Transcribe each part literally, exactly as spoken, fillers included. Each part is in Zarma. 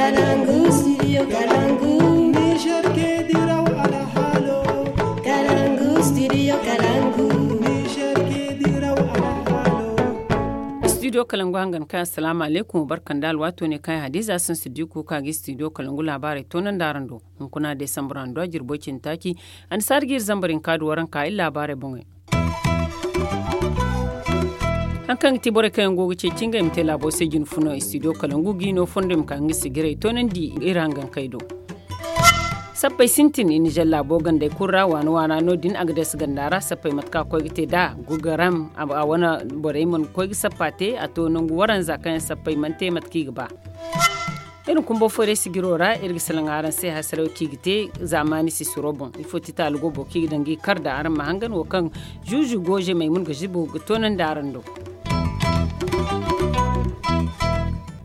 Kalangu, studio Kalangu. Niger ke diraw alhalo. Kalangu, studio Kalangu. Niger ke diraw alhalo. Studio Kalangu hangan kay, assalamu alaikum, barkan da alwato ne kay, Hadiza sun studio ko kagi studio Kalangu labarai tonan daran do. Hunkuna Desambra ndo jirbo cin taki, an sargir zambarin kadu waran ka illa labarai bongai. Haŋ kaŋ ga ti borey kaŋ yaŋ go ga ceeci ngey ma te laabo se jine funa studio Kalangu ga i no fondo i ma ka nga sigiray toonandi iri hangankey do. Sappey sintin i na zalla laabo gandey kulu ra waana waana no- din a ga deesa ganda ra sappey mate kaŋ a koy ga te nd'a gugaram a wane borey mana koy ga sappa te a to nangu waranza kaŋ yaŋ sappey mana te mate kaŋ i ga ba. Iri na kumbo fooray sijiro ra iri ga salaŋ araŋ se hasaraw kaŋ i ga te zaamaani sisiro boŋ ifo ti taali go boro kaŋ i ga daŋ ga i kar da araŋ ma hangan wo kaŋ zuuzu gooze maymun ga zibo ga toonandi araŋ do.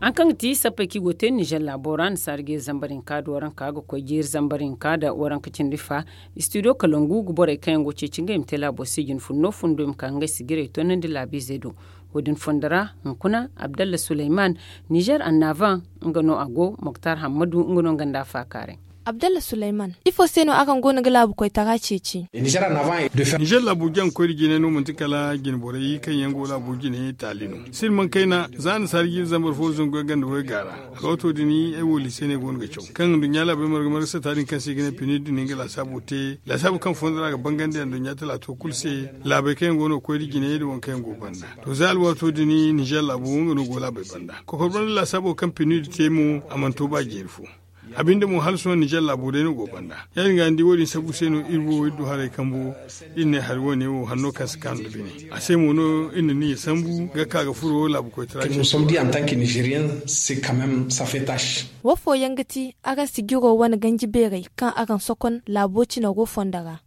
Haŋ kaŋ ga ti sappey kaŋ i go ga te nizer laabo ra nasaara jeeri zambar hinka da waranka ga koy jeeri zambar hinka da waranka cindi fa. Studio kalangu ga borey kaŋ yaŋ go ga ceeci ngey ma te laabo se jine funno fundo i ma ka ga ngey sijirey toonandi laabiizey do. Wo- din fondo ra hunkuna abdalla suleyman nizer annavan nga no a go moktar hammadu nga no nga nda a faakaaray. Abdalla suleyman, ifo se no araŋ go no ga laabu koytara ceeci? Nizer laabu jaŋ koy da jine no manti kala jine borey kaŋ yaŋ go laabu jine taali no sirman kayna za nasaara jiiri zambar fo zangu yaŋ ganda way gaara. Alwato din ay wo liise no ay go no ga caw kaŋ nduɲɲa laabey marga marga sata din kaŋ se i ga ne pini din nga laasaabo te laasaabu kaŋ fondo ra ga bangandi nduɲɲa talaato kulu se. Laabey kaŋ yaŋ go no ga koy da jinayey da waŋ kaŋ yaŋ go banda. To za alwaato din nizer laabo nga no go laabey banda kokor banda laasaabo kaŋ pini din te mo a mana to ba jeeri fo. A binde mo hala sohõ nizer laabo day no go banda. Ya- din ga ni di wo- din sabu se no iri wo iri du haray kambo iri ne hari wo- ne wo hanno kaŋ si kaanu nda bine a se mo no iri na niyya sambu ga ka ga furo laabu koytara. Wo fooyaŋ ga ti araŋ sijiro wane ganji beerey kaŋ araŋ sokon laabo cina go fondo ra.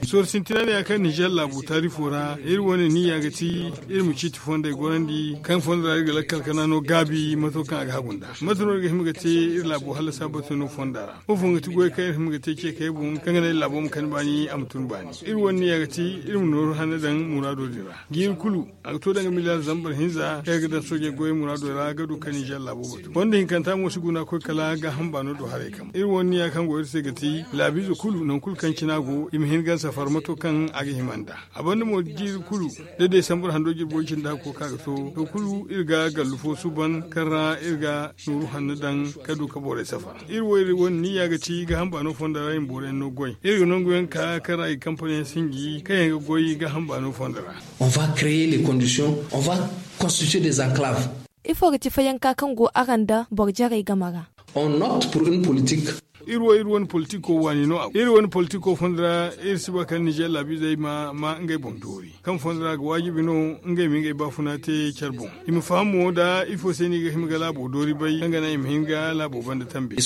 Sooro sintina ne ya kaŋ nizer laabu taarifo ra iri wane niyya ga ti iri ma ciiti fondey gorandi kaŋ fondo ra iri ga lakkal kana no gaabi mato kaŋ a ga hagu nda mate no iri ga hima ga te iri laabo hallasa bate no fonda ra. Wo fooyaŋ ga ti goy kaŋ iri hima ga te ce kay boŋ kaŋ ga naŋ iri laabo ma kani baani a ma tun baani. Iri wane niyya ga ti iri ma nooru hanna daŋ muraado din ra jiiri kulu a ga to daŋ ga miliyaar zambar hinza kaŋ iri ga daŋ soojey goyey muraado ra ga du kaŋ nizer laabo batu wanda hinkanta mo si guna koy kala gaaham baano do haray kam iri wane niya kaŋ go iri se ga ti laabiize kulu nangu kulu kaŋ cina go i ma hin ga safar mato kaŋ a ga hima nda. A banda mo jiiri kulu da desambar hando jirbo cindi hakko kaŋ a ga to to kulu iri ga gallu fo suuban kaŋ ra iri ga nooru hanno daŋ ka du ka borey safar. Iri wo iri wane niya ga ti gaaham baano fondo ra iri ma boroyaŋ no goy iri ga nangu yaŋ ka kaŋ ra i ga kampaniyaŋ sinji kaŋ yaŋ ga goy gaaham baano fondo ra. On va créer les conditions on va constituer des enclaves. Ifo ga ti fayanka kaŋ go araŋ nda boro jarey game ra? On opte pour une politique. Iri wo iri wane politiko waani no a go iri wane politiko fondo ra iri si ba kala nizer laabiizey ma ma ngey boŋ doori kaŋ fondo ra ga waajibi no ngey ma ngey baafuna te care boŋ. I ma faham mo nda ifo se no i ga hima ga laabo doori bay kaŋ ga naŋ i ma hin ga laabo banda tambe.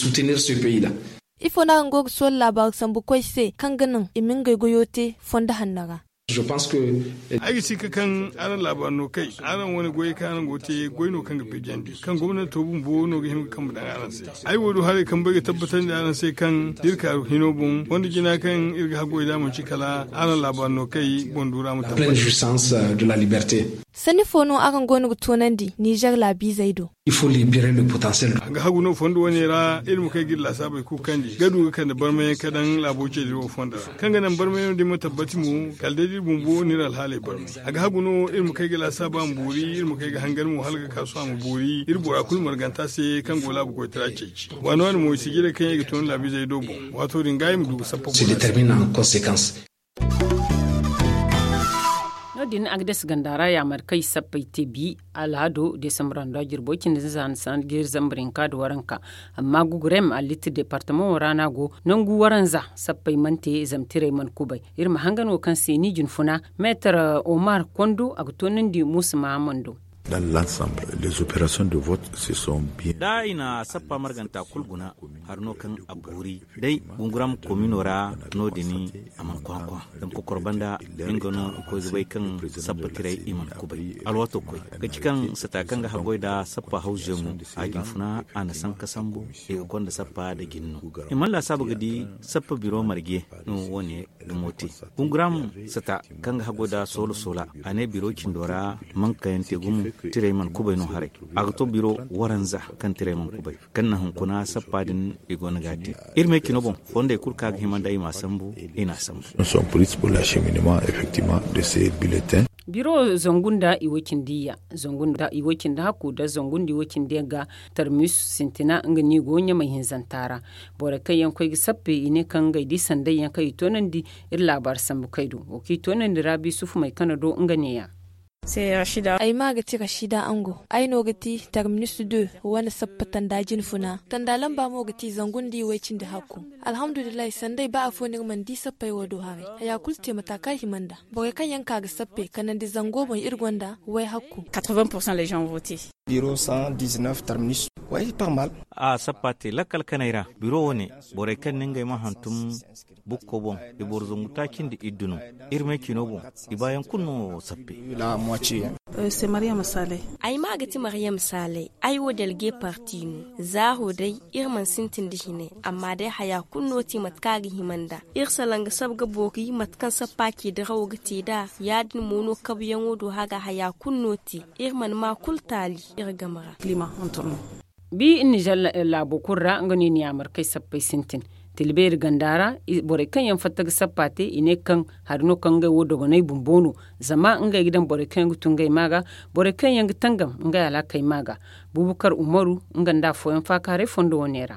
Ifo no araŋ go ga soola laabaaru sambu koy se kaŋ ga naŋ i ma ngey goyo te fondo hanno ra? Ay ga si ka kaŋ araŋ laabaari no kay araŋ wane goyey kaŋ araŋ go ga te goy no kaŋ ga bijandi kaŋ gomnanto bumbo no ga hima ga kambe daŋ araŋ se. Ay wo du haray kaŋ bay ga tabbatandi araŋ se kaŋ da iri kaaru hino boŋ fondo jina kaŋ iri ga haggoy da manci kala araŋ laabaari no kay boŋ du ra ma tabbat. Sanni fo no araŋ go no ga toonandi nizer laabiizey do? A ga hagu no fondo wane ra iri ma kay ga iri laasaabey kukandi ga du ga kande barmayaŋ ka daŋ laabo ceediri wo fondo ra kaŋ ga naŋ barmayaŋo din ma tabbati mo kala day da iri bumbo no iri alhaaley barmay. A ga hagu no iri ma kay ga laasaaba ma boori iri ma kay ga hangan mo hala ga ka sohõ a ma boori iri bora kulu marganta se kaŋ go laabu koytara ceeci waani waani mo i si jiray kaŋ yaŋ i ga toonandi laabiizey do boŋ waato din ga i ma du ga sappa bora se. No- din agdes ganda ra yaamar kaŋ i sappey te bi alhado desambar hando a jirbo cindi za na sanda jeeri zambar hinka nda waranka. Amma gugurem allitir departamaŋo ra no a go nangu waranza sappey mana te zamtirey mana kubay. Iri ma hangan wo kaŋ se ni jinfuna meetar omar kondo a ga toonandi muusa mahamando. Da i na sappa marganta kulu guna hari no kaŋ a boori day gunguram komino ra no- din a mana kwakwa. Zama kokoro banda nga no i koy ga bay kaŋ sappa tiray i mana kubay alwato koy ga ci kaŋ sata kaŋ ga haggoy nda sappa hawzeŋo a jinfuna a na sanka sambu i ga konda sappa nda jin no. I mana laasaabu ga di sappa biro marje no wo- ne gumo te. Gunguram sata kaŋ ga haggoy nda soola soola a ne biro cindo ra mankayaŋ te gumo. Tirey mana kubay no haray. A ga to biro waranza kaŋ tirey mana kubay, kaŋ na hunkuna sappa din i go no ga a te. Iri me cino boŋ, fondey kulu kaŋ a ga hima nda i ma a sambu, i na a sambu. Son police pour la cheminima effectivement de ces bulletins. Biro zangu nda iway cindi ya, zangu nda iway cindi hakku nda zangu nda iway cindi ya ga tarmis sintina nga no i go ɲamay hinzanta ra. Borey kaŋ yaŋ koy ga sappe i ne kaŋ ngey di sanday yaŋ kaŋ i toonandi. Iri laabaari sambu kay do wo kaŋ i toonandi raabi sufu may kana do nga ne ya. Ay maa ga ti rashida ango. Ay no ga ti terminus deux wane sappa tanda jinfuna tanda lamba mo ga ti zangu nda iway cindi hakku. Alhamdulillahi sanday ba afo no iri mana di sappey wo do haray. Haya kulu te mata kaŋ a hima nda borey kaŋ yaŋ ka ga sappe kanandi zango boŋ iri gonda way hakku. Biro cent dix-neuf terminus. Way pas mal. A sappa te lakkal kanay ra. Biro wo ne, borey kaŋ ne ngey ma hantum bukko boŋ, i boro zangu taaci nda iddu no. Iri me cino boŋ, i baayaŋ kulu no sappe. Ay maa ga ti mariyam saalay. Ay wo delge parti no. Za ho day, iri mana sintin nda hine, amma day haya kulu no ti mate kaŋ a ga hima nda. Iri salaŋ ga sabu ga boori mate kaŋ sappa ce dirawo ga te nd'a. Ya- din mo no kabuyaŋo do haga haya kulu no te. Iri mana ma kulu taali iri game ra. Bi nizer laabo kulu ra nga no i na yaamar kay sappey sintin. Tilbeeri ganda ra, borey kaŋ yaŋ fatta ga sappa te i ne kaŋ hari no kaŋ ngey wo dogonay bumbo no. Zama ngey ga daŋ borey kaŋ yaŋ ga tun ngey ma ga, borey kaŋ yaŋ ga tangam ngey alaakey ma ga. Bubakar umaru, nga nda afooyaŋ faakaaray fondo wane ra.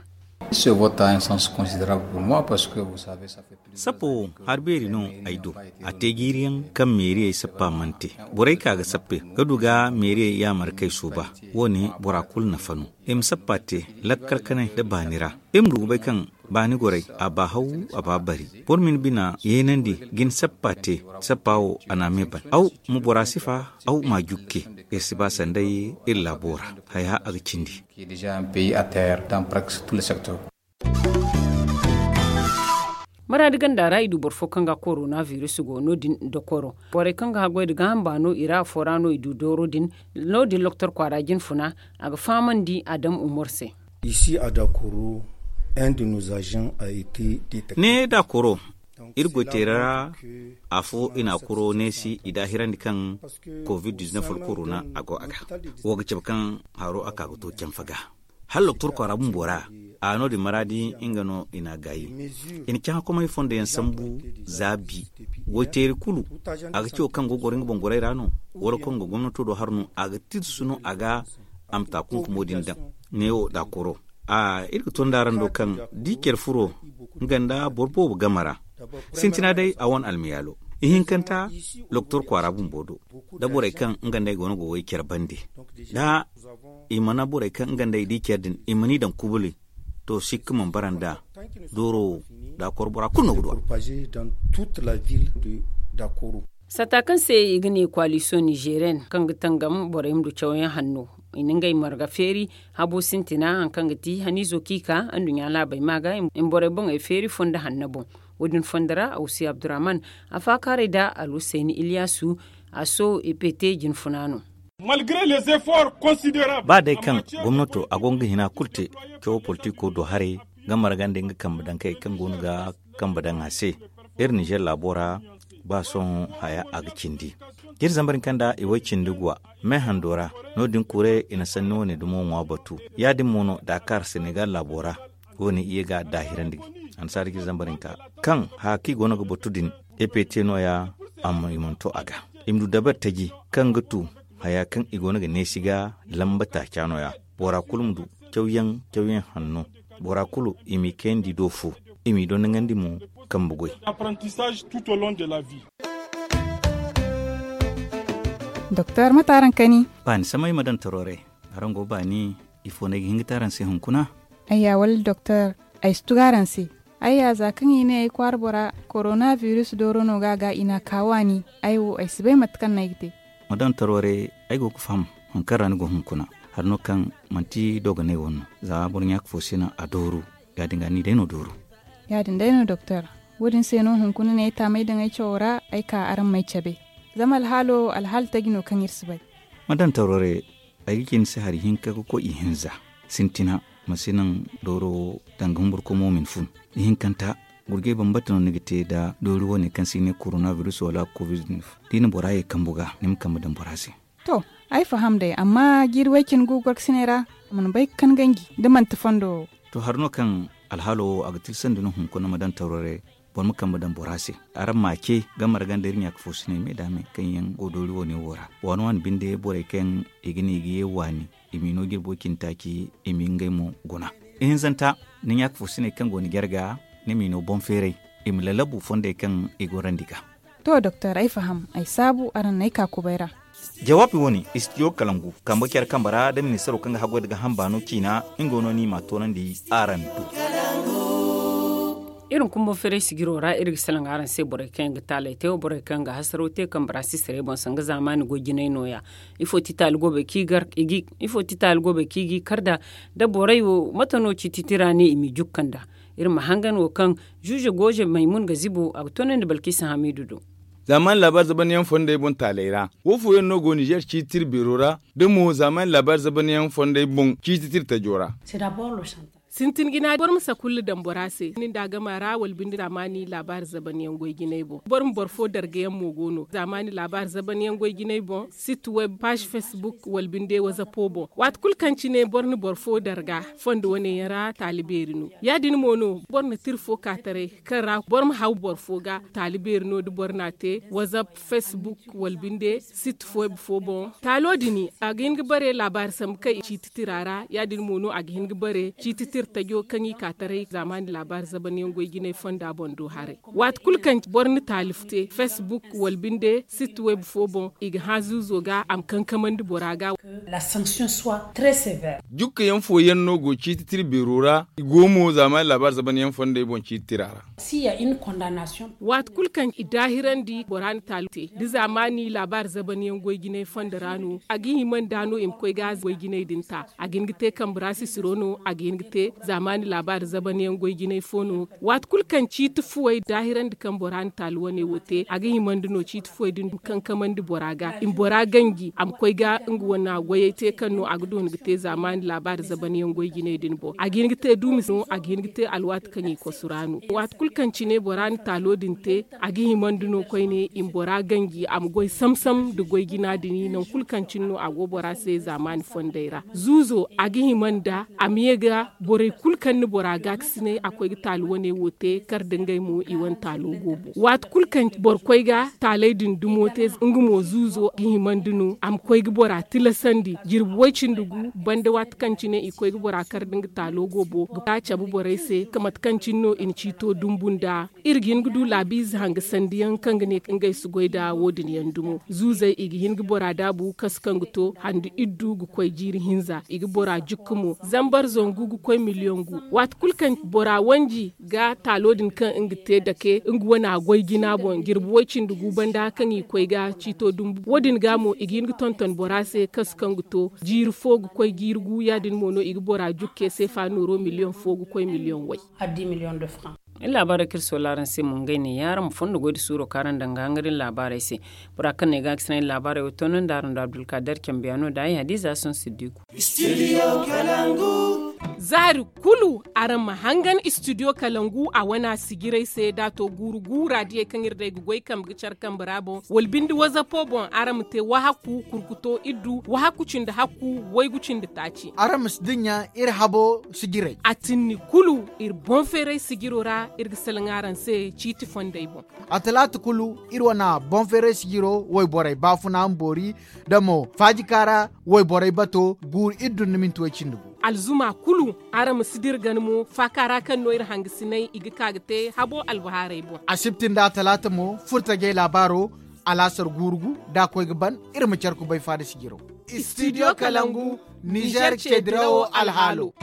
Sappo wo hari beeri no ay do. A te jiiriyaŋ kaŋ meeriyey sappa mana te. Borey ka ga sappe ga du ga meeriyey yaamar kay suuba. Wo- ne bora kulu nafa no. I ma sappa te lakkal kanay nda baani ra. I ma du ga bay kaŋ baani goray a ba haw, a ba bari. Boro ma ni bina yeenandi ga ni sappa te. Sappa wo a na a me ban aw ma bora sifa, aw ma a jukke. Iri si ba sanday iri laabo ra. Haya a ga cindi. Maraadi ganda ra i du boro fo kaŋ ga korona virus go no- din dokoro. Borey kaŋ ga haggoy nda gaaham baano i ra afo ra no i du dooro din. No- din loktor kwaara jinfuna a ga fahamandi adam umar se. Isi a dakoro. Inde nos agents a été detecté. Ne dakoro iri goyteera ra. Afo i na a kuro neesi i daahirandi kaŋ covid-19 korona a go a ga. Wo ga cabe kaŋ haro a ka ga to canfa ga. Hala doktor kwaara bumbo ra a no- din maraadi nga no i na a gaayi. I na caŋ hakomay fondo yaŋ sambu zaabi. Goyteeri kulu a ga ci wo kaŋ go goro nga boŋ goray ra no wala kaŋ go gomnato do har no a ga tirsu no a ga. A ma ta kunkumo din daŋ. Neewo da koro a iri ga to nda araŋ do kaŋ di care furo nga nda boro boobo game ra. Sintina day a wane almiyaalo ihinkanta doktor kwaara bumbo do. Da borey kaŋ nga nda ay go no go way care bande da i mana borey kaŋ nga nda ay di care din i mana i daŋ kubuli. To sikka mana bara nda dooro wo da koro bora kulu no ga duwa. Sata kaŋ se i ga ne koalisiyoŋ nizeriyen kaŋ ga tangam borey ma du cawyaŋ hanno i na ngey marga feeri. Habo sintina hari kaŋ ga ti haniizo kaŋ i ka anduɲɲa laabey ma ga i ma borey boŋey feeri fondo hanno boŋ. Wo- din fondo ra awsi abdurrahman a faakaaray nda alhusayni iliyaasu. A so epete jinfuna no. Ba day kaŋ gomnato a go nga hina kulu te cawo politiko do haray ga marga nda nga kambe daŋ kay kaŋ go no ga kambe daŋ a se. Iri nizer laabo ra ba sohõ haya a ga cindi. Iri zambar hinka nda i way cindi guwa me hando ra. No- din kure i na sanni wane dumo ŋwa batu. Ya- din mo no dakar senegal laabo ra. Wo- ne i ye ga daahirandi annasaara ga iri zambar hinka kaŋ haya kaŋ i go no ga batu din. Epe te no- ya amma i mana to a ga. I ma du dabar taji kaŋ ga tu haya kaŋ i go no ga neesi ga lamba taaca no- ya. Bora kulu ma du cawyaŋ cawyaŋ hanno. Bora kulu i m'i kayandi do fo i m'i dondoŋandi mo. Kambe goy. Doktor mate araŋ kani? Baani samay ma daŋ taro ray. Araŋ go baani? Ifo no ay ga hin ga te araŋ se hunkuna? Ayya wala doktor, ay si tugu araŋ se. Ayya za kaŋ i ne ay kwaara bora korona virus dooro no ga a ga i n'a ka waani. Ay wo ay si bay mate kaŋ no ay ga te. Ma daŋ taro ray. Ay go ga faham hari kaŋ ra ni go hunkuna. Hari no kaŋ manti dogonay wane no. Za boro ɲaaka fo se no a dooru. Ya- din ga ni day no dooru. Ya- din day no doktor. Wo- din se no hunkuna no ay taamay daŋ ay cawo ra ay ka araŋ m'ay cabe. Zama alhaalo alhaali taji no kaŋ iri si bay. Ma daŋ taro ray. Ay ga ci ni se hari hinka ga koy ihinza. Sintina ma si naŋ dooro wo danga humburkomo ma ni fun. Ihinkanta gurjay bambata no ni ga te nda doori wane kaŋ se i ne korona virus wala covid-19. Da i na bora ye kambu ga ni ma kambe daŋ bora se. To, Ay faham day, amma jiiri way cine gu gorkasiney ra, a mana bay ga kan ganji da manti fondo wo. To, hari no kaŋ alhaalo wo a ga tilsandi no hunkuna ma daŋ tawro ra, boro ma kambe daŋ bora se. Araŋ ma a ce, game ra ganda iri ɲaaka fo si ne me da me kaŋ yaŋ go doori wo ne wo ra, waani waani binde borey kaŋ i ga ne i ga ye waani, i m'i no jirbo cindi taaci, i m'i ngey mo guna. Ihinzanta, ni ɲaaka fo si ne kaŋ go ni jarga, ni m'i no boŋ feeray, i ma lalabu fondey kaŋ i gorandi ga. To doktor, ay faham, ay saabu araŋ n'ay ka kubay ra. Jawaabi wo-ne, istidiyo kalangu kambe care kambe ra da ministaro kaŋ ga haggoy da ga hamba no ciina, nga no ni m'a toonandi araŋ do. Iri ma kumbo feeray sijiro ra, iri ga salaŋ araŋ se borey kaŋ yaŋ ga taalay te wo, borey kaŋ yaŋ ga hasaro te kambe ra si saray boŋ sanga zaamaani goy jinay no- ya. Ifo ti taali goobey kaŋ i gar i ga i kar da da borey wo mate no ciiti tira ne i m'i jukka nda? Iri ma hangan wo kaŋ zuuze gooze maymun ga zibo a ga toonandi balkisa hamiidu do. Zaamaani laabaari zabanyaŋ fondey boŋ taaley ra, wo fooyaŋ no go ninzeer ciiti tira beero ra, da mo zaamaani laabaari zabanyaŋ fondey boŋ ciiti tira tajo ra. Sintin jina boro ma sakulla daŋ bora se ni nda a gama ra wala binde zaamaani laabaari zabanyaŋ goy jinay boŋ boro ma boro fo darga yaŋ mo go no zaamaani laabaari zabanyaŋ goy jinay boŋ, sit web paazi fesbuk wala binde wazapo boŋ. Waati kulu kaŋ cine boro na boro fo darga fondo wane yaŋ ra taali beeri no. Ya- din mo no boro na tira fo ka taray kaŋ ra boro ma haw boro fo ga taali beeri no da boro n'a te wazap, fesbuk wala binde sit web fo boŋ. Taalo din a ga hin ga bare laabaari sambu kaŋ i ciiti tira ra. Ya- din mo no a ga hin ga bare ciiti tira tajo kaŋ i ka taray zaamaani laabaari zabanyaŋ goy jinay fonda boŋ do haray. Waati kulu kaŋ boro na taali te fesbuk wala binde sit web fo boŋ i ga hã zuuzo ga a ma kankamandi bora ga. Jukka yaŋ fooyaŋ no go ciiti tira beero ra i go mo zaamaani laabaari zabanyaŋ fondey boŋ ciiti tira ra. Waati kulu kaŋ i daahirandi bora na taali te da zaamaani laabaari zabanyaŋ goy jinay fondo ra no a ga hima nda no i ma koy ga goy jinay din ta. A ga hin ga te kambe ra sisiro no a ga hin ga te zaamaani laabaari zabanyaŋ goy jinay fo no. Waati kulu kaŋ ciiti fuwey daahirandi kaŋ bora na taali wane wo te a ga himandi no ciiti fuwey din ma kankamandi bora ga i ma bora ganji a ma koy ga nga wane goyey te kaŋ no a ga doona ga te zaamaani laabaari zabanyaŋ goy jinay din boŋ a ga hin ga te duumi se no a ga hin ga te alwaati kaŋ i kosu ra no. Waati kulu kaŋ cine bora na taalo din te a ga himandi no koyne i ma bora ganji a ma goy samsam nda goy jina din nangu kulu kaŋ cine no a go bora se zaamaani fondey ra. Zuuzo a ga hima nda a ma ye ga borey kulu kaŋ na bora gaakasinay a koy ga taali wane wo te kar da ngey mo i wane taalo go boŋ. Waati kulu kaŋ boro koy ga taaley din dumo te nga mo zuuzo ga himandi no a ma koy ga bora tilasandi jirbi way cindi gu banda waati kaŋ cine i koy ga bora kar da nga taalo go boŋ ga cabe borey se ka mate kaŋ cine no i na ciito dumbu nda. Iri ga hin ga du laabiize hanga sandiyaŋ kaŋ ga ne ngey si goy nda wo- din yaŋ dumo zuuzey i ga hin ga bora daabu kasu kaŋ ga to handi iddu ga koy jiiri hinza i ga bora jukka mo zambar zangu ga koy miliyoŋ gu. Waati kulu kaŋ bora wanji ga taalo din kaŋ nga te dake nga wane a goy jina boŋ jirbi way cindi gu banda kaŋ i koy ga ciito dumbu wo- din ga mo i ga hin ga tonton bora se kasu kaŋ ga to jiiri fo ga koy jiiri gu ya- din mo no i ga bora jukke seefa nooro miliyoŋ fo ga koy miliyoŋ way. Iri laabaarey kaŋ iri soola araŋ se mo ngey ne ya araŋ ma fondo goy nda suuro kaŋ araŋ daŋ ga hangar iri laabaarey se. Bora kaŋ no ay ga a ga sinaŋ iri laabaarey wo toonandi araŋ do abdulkaadir cambiyaano nda ay hadiza sohõ siddiku. Zaari kulu araŋ ma hangan istidiyo kalangu a wane a sijirey se da a to guuru gu raadiyey kaŋ iri day ga goy kambe ga care kambe ra boŋ wala binde wazapo boŋ araŋ ma te wahakku kurkuto iddu wahakku cindi hakku waygu cindi taaci. Araŋ ma si dinya iri habo sijirey. A tinni kulu iri boŋ feeray sijiro ra iri ga salaŋ araŋ se ciiti fondey boŋ. A talaata kulu iri wane boŋ feeray sijiro wayborey baafuna ma boori da mo faajika ra wayborey bato guuru iri dun da minti way cindi gu. Alzuma kulu araŋ ma si dira gana mo faaka ra kaŋ no iri hangasinay i ga ka ga te habo albahaarey boŋ. Asibti nda talaata mo furtajey laabaaro alaasar guuru gu da a koy ga ban iri ma care kubay faada sijiro. Istidiyo kalangu nizer ce dirawo alhaalo.